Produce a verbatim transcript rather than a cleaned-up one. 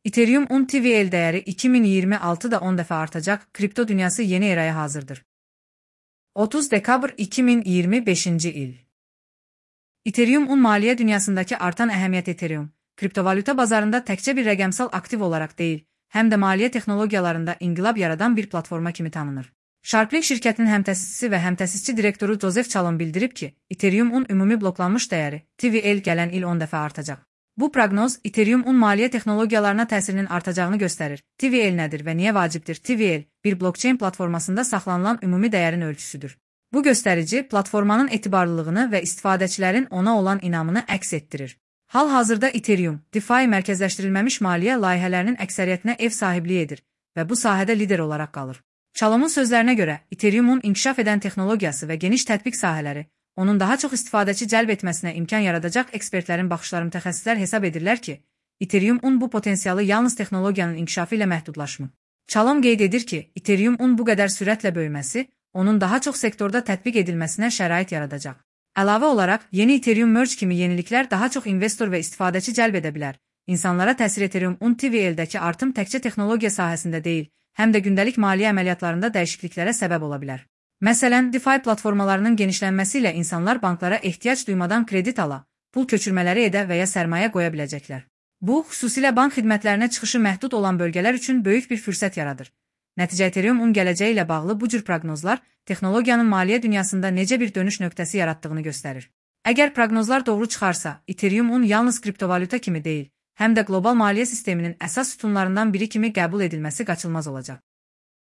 Ethereum on T V L değeri iki min iyirmi altıda on dəfə artacaq, kripto dünyası yeni eraya hazırdır. otuz dekabr iki min iyirmi beşinci il. Ethereum on maliyyə dünyasındakı artan əhəmiyyət Ethereum, kriptovalyuta bazarında təkcə bir rəqəmsal aktiv olaraq deyil, həm də maliyyə texnologiyalarında inqilab yaradan bir platforma kimi tanınır. Sharplink şirkətinin həmtəsisçisi və həmtəsisçi direktoru Joseph Chalon bildirib ki, Ethereum on ümumi bloklanmış dəyəri T V L gələn il on dəfə artacaq. Bu proqnoz Ethereum on maliyyə texnologiyalarına təsirinin artacağını göstərir. T V L nədir və niyə vacibdir? T V L, bir blockchain platformasında saxlanılan ümumi dəyərin ölçüsüdür. Bu göstərici, platformanın etibarlılığını və istifadəçilərin ona olan inamını əks etdirir. Hal-hazırda Ethereum, DeFi mərkəzləşdirilməmiş maliyyə layihələrinin əksəriyyətinə ev sahibliyi edir və bu sahədə lider olaraq qalır. Chalon'un sözlərinə görə, Ethereum'un inkişaf edən texnologiyası və geniş tətbiq sahələri, onun daha çox istifadəçi cəlb etməsinə imkan yaradacaq. Ekspertlərin baxışları mütəxəssislər hesab edirlər ki, Ethereum on bu potensialı yalnız texnologiyanın inkişafı ilə məhdudlaşmır. Chalon qeyd edir ki, Ethereum on bu qədər sürətlə böyüməsi, onun daha çox sektorda tətbiq edilməsinə şərait yaradacaq. Əlavə olaraq, yeni Ethereum Merge kimi yeniliklər daha çox investor və istifadəçi cəlb edə bilər. İnsanlara təsir Ethereum on T V L-dəki artım təkcə texnologiya sahəsində deyil, həm də gündəlik maliyyə əməliyyatlarında dəyişikliklərə səbəb ola bilər. Məsələn, DeFi platformalarının genişlənməsi ilə insanlar banklara ehtiyac duymadan kredit ala, pul köçürmələri edə və ya sərmayə qoya biləcəklər. Bu, xüsusilə bank xidmətlərinə çıxışı məhdud olan bölgələr üçün böyük bir fürsət yaradır. Nəticə Ethereum on gələcəyi ilə bağlı bu cür proqnozlar texnologiyanın maliyyə dünyasında necə bir dönüş nöqtəsi yaratdığını göstərir. Əgər proqnozlar doğru çıxarsa, Ethereum on yalnız kriptovalyuta kimi deyil, həm də qlobal maliyyə sisteminin əsas sütunlarından biri kimi qəbul edilməsi qaçılmaz olacaq.